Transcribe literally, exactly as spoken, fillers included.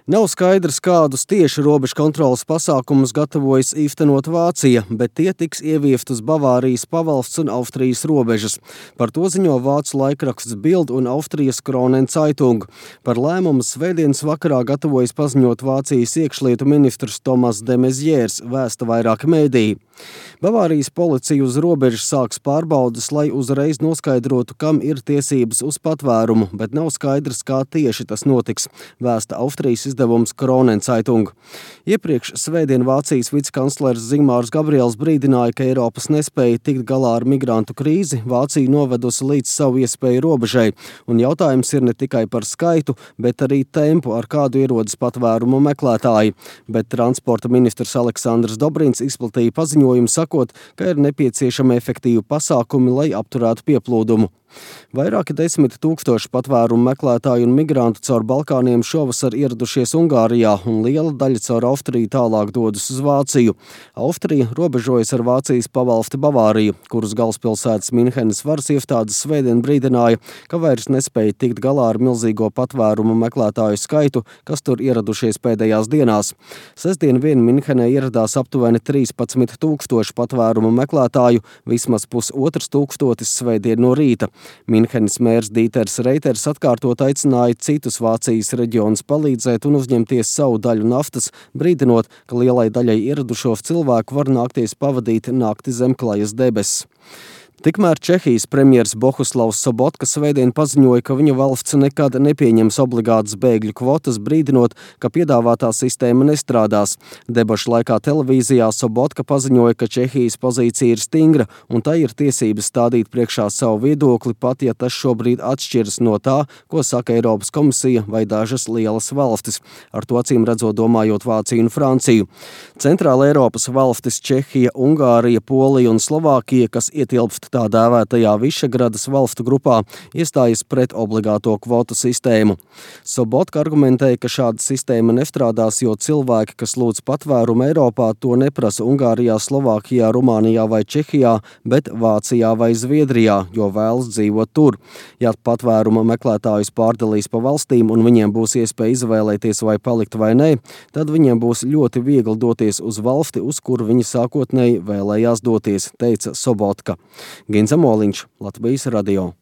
Nav skaidrs, kādus tieši robežu kontroles pasākumus gatavojas īstenot Vācija, bet tie tiks ieviest uz Bavārijas pavalsts un Austrijas robežas. Par to ziņo vācu laikraksts Bild un Austrijas Kronen Zeitung. Par lēmumu svētdienas vakarā gatavojas paziņot Vācijas iekšlietu ministrs Tomas de Maizières, vēsta vairāki mēdīji. Bavārijas policija uz robežas sāks pārbaudes, lai uzreiz noskaidrotu, kam ir tiesības uz patvērumu, bet nav skaidrs, kā tieši tas notiks, vēsta Austrijas izdevums Kronen Zeitung. Iepriekš svētdien Vācijas vicekanclers Zigmārs Gabriels brīdināja, ka Eiropas nespēja tikt galā ar migrantu krīzi Vāciju novedusi līdz savu iespēju robežai, un jautājums ir ne tikai par skaitu, bet arī tempu, ar kādu ierodas patvērumu meklētāji. Bet transporta ministrs Aleksandrs Dobrins izplatīja paziņojumu sakot, ka ir nepieciešami efektīvi pasākumi, lai apturētu pieplūdumu. Vairāki desmit tūkstoši patvērumu meklētāju un migrantu caur Balkāniem šovasar ieradušies Ungārijā, un liela daļa caur Austriju tālāk dodas uz Vāciju. Austrija robežojas ar Vācijas pavalsti Bavāriju, kuras galvaspilsētas Minhenes varas iestādes svētdien brīdināja, ka vairs nespēja tikt galā ar milzīgo patvērumu meklētāju skaitu, kas tur ieradušies pēdējās dienās. Sestdien vien Minhenē ieradās aptuveni trīspadsmit tūkstoši patvērumu meklētāju, vismaz pusotrs tūkstotis svētdien no rīta. Minhenes mērs Dīters Reiters atkārtot aicināja citus Vācijas reģionus palīdzēt un uzņemties savu daļu naftas, brīdinot, ka lielai daļai ieradušos cilvēku var nākties pavadīt nakti zem klajas debesis. Tikmēr Čehijas premjers Bohuslavs Sobotka svētdien paziņoja, ka viņa valsts nekad nepieņems obligātas bēgļu kvotas, brīdinot, ka piedāvātā sistēma nestrādās. Debašu laikā televīzijā Sobotka paziņoja, ka Čehijas pozīcija ir stingra un tai ir tiesības stādīt priekšā savu viedokli, pat ja tas šobrīd atšķiras no tā, ko saka Eiropas komisija vai dažas lielas valstis, ar to acīm redzot domājot Vāciju un Franciju. Centrāla Eiropas valstis Čehija, Ungārija, Polija un Slovākija, kas ietilpst tā dēvētajā Višegradas valstu grupā, iestājas pret obligāto kvotu sistēmu. Sobotka argumentēja, ka šāda sistēma nestrādās, jo cilvēki, kas lūdz patvērumu Eiropā, to neprasa Ungārijā, Slovākijā, Rumānijā vai Čehijā, bet Vācijā vai Zviedrijā, jo vēlas dzīvot tur. Ja patvēruma meklētājus pārdalīs pa valstīm un viņiem būs iespēja izvēlēties vai palikt vai nē, tad viņiem būs ļoti viegli doties uz valsti, uz kuru viņi sākotnēji vēlējās doties, teica Sobotka. Ginza Moliņš, Latvijas radio.